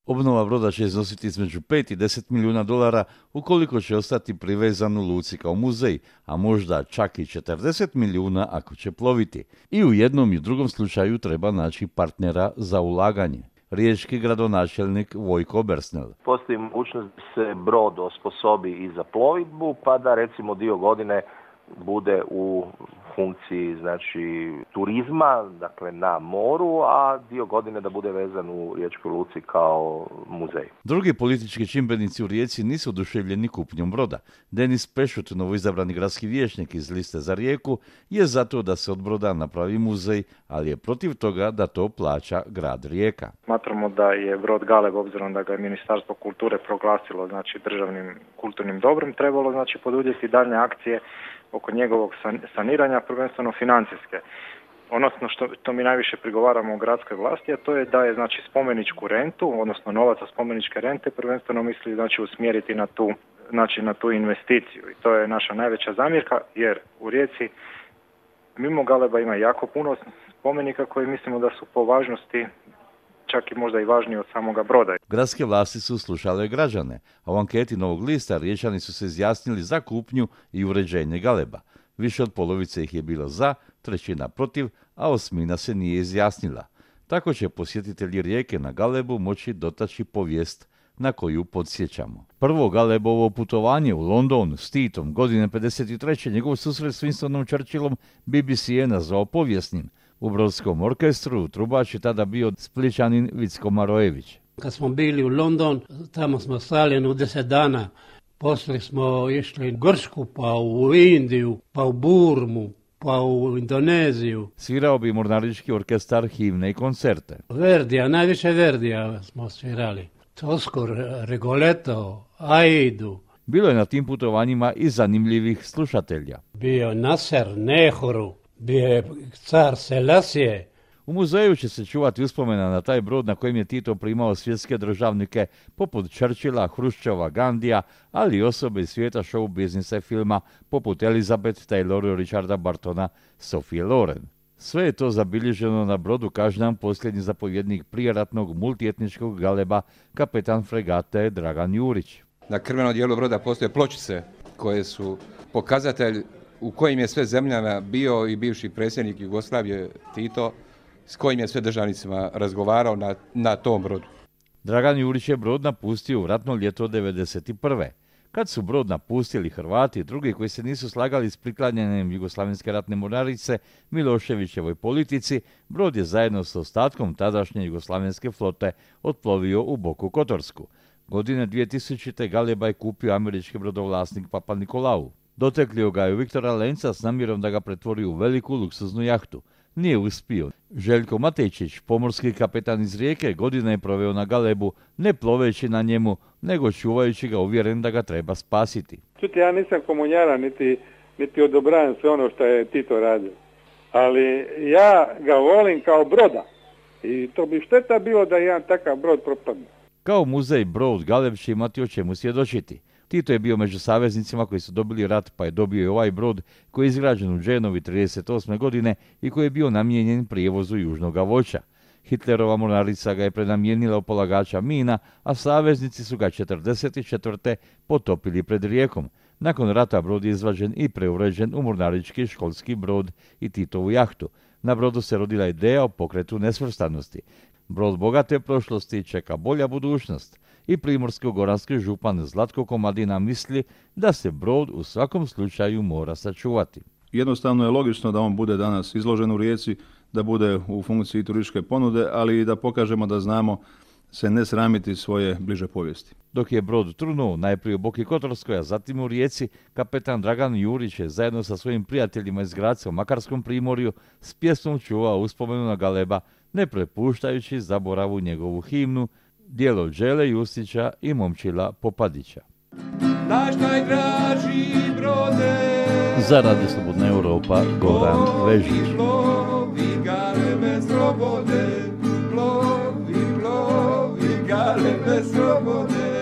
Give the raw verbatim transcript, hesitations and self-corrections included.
Obnova broda će iznositi između pet i deset milijuna dolara ukoliko će ostati privezan u luci kao muzej, a možda čak i četrdeset milijuna ako će ploviti. I u jednom i u drugom slučaju treba naći partnera za ulaganje. Riječki gradonačelnik Vojko Bersnel. Postoji mogućnost da se brod osposobi i za plovidbu, pa da recimo dio godine bude u funkciji znači turizma, dakle na moru, a dio godine da bude vezan u Riječkoj luci kao muzej. Drugi politički čimbenici u Rijeci nisu oduševljeni kupnjom broda. Denis Pešut, novoizabrani gradski vijećnik iz liste za Rijeku, je zato da se od broda napravi muzej, ali je protiv toga da to plaća grad Rijeka. Smatramo da je brod Galeb, obzirom da ga je Ministarstvo kulture proglasilo znači državnim kulturnim dobrom, trebalo znači poduzeti daljnje akcije oko njegovog saniranja, prvenstveno financijske. Odnosno što to mi najviše prigovaramo u gradskoj vlasti, a to je da je znači spomeničku rentu, odnosno novac za spomeničke rente, prvenstveno misli znači usmjeriti na tu, znači na tu investiciju. I to je naša najveća zamjerka, jer u Rijeci mimo Galeba ima jako puno spomenika koji mislimo da su po važnosti čak i možda i važniji od samoga broda. Gradske vlasti su slušale građane, a u anketi Novog lista Riječani su se izjasnili za kupnju i uređenje Galeba. Više od polovice ih je bilo za, trećina protiv, a osmina se nije izjasnila. Tako će posjetitelji Rijeke na Galebu moći dotaći povijest na koju podsjećamo. Prvo Galebovo putovanje u London s Titom godine pedeset treće njegov susret s Winstonom Churchillom B B C je nazvao povijesnim. U brodskom orkestru trubač je tada bio Splićanin Vicko Marojević. Kad smo bili u London, tamo smo stali jedno deset dana. Poslije smo išli u Grčku, pa u Indiju, pa u Burmu, pa u Indoneziju. Svirao bi mornarički orkestar himne i koncerte. Verdija, najviše Verdija smo svirali. Tosco, Rigoletto, Aidu. Bilo je na tim putovanjima i zanimljivih slušatelja. Bio Nasser, Nehru, bio je car Selasije. U muzeju će se čuvati uspomena na taj brod na kojem je Tito primao svjetske državnike poput Churchilla, Hruščova, Gandija, ali i osobe iz svijeta show biznisa i filma poput Elizabeth Taylor, Richarda Bartona, Sophie Loren. Sve je to zabilježeno na brodu, kaže nam posljednji zapovjednik prijeratnog multietničkog Galeba, kapetan fregate Dragan Jurić. Na krvenom dijelu broda postoje pločice koje su pokazatelj u kojim je sve zemljama bio i bivši predsjednik Jugoslavije Tito, s kojim je sve državnicima razgovarao na, na tom brodu. Dragan Jurić je brod napustio u ratno ljeto devedeset prve. Kad su brod napustili Hrvati i drugi koji se nisu slagali s priklanjanjem Jugoslavenske ratne mornarice Miloševićevoj politici, brod je zajedno s ostatkom tadašnje Jugoslavenske flote otplovio u Boku Kotorsku. Godine dvije tisućite. Galeba je kupio američki brodovlasnik Papa Nikolau. Doteklio ga je u Viktora Lenca s namjerom da ga pretvori u veliku luksuznu jahtu. Nije uspio. Željko Matejčić, pomorski kapetan iz Rijeke, godina je proveo na Galebu, ne ploveći na njemu, nego čuvajući ga, uvjeren da ga treba spasiti. Čuti, ja nisam komunjara, niti, niti odobravam sve ono što je Tito radio. Ali ja ga volim kao broda. I to bi šteta bilo da jedan takav brod propadne. Kao muzej brod Galeb će imati o čemu svjedočiti. Tito je bio među saveznicima koji su dobili rat, pa je dobio i ovaj brod koji je izgrađen u Dženovi trideset osme. godine i koji je bio namijenjen prijevozu južnog voća. Hitlerova mornarica ga je prenamijenila u polagača mina, a saveznici su ga četrdeset četvrte. potopili pred Rijekom. Nakon rata brod je izvađen i preuređen u mornarički školski brod i Titovu jahtu. Na brodu se rodila ideja o pokretu nesvrstanosti. Brod bogate prošlosti čeka bolja budućnost. I primorsko-goranski župan Zlatko Komadina misli da se brod u svakom slučaju mora sačuvati. Jednostavno je logično da on bude danas izložen u Rijeci, da bude u funkciji turističke ponude, ali i da pokažemo da znamo se ne sramiti svoje bliže povijesti. Dok je brod trunuo najprije u Boki Kotorskoj, a zatim u Rijeci, kapetan Dragan Jurić je zajedno sa svojim prijateljima iz Graca u Makarskom primorju s pjesmom čuvao uspomenu na Galeba, ne prepuštajući zaboravu njegovu himnu, djelo Đele Justića i Momčila Popadića. Naš najdraži brode, za Radio Slobodna Europa, Goran Vežić. Plovi Galebe slobode, plovi, plovi Galebe slobode.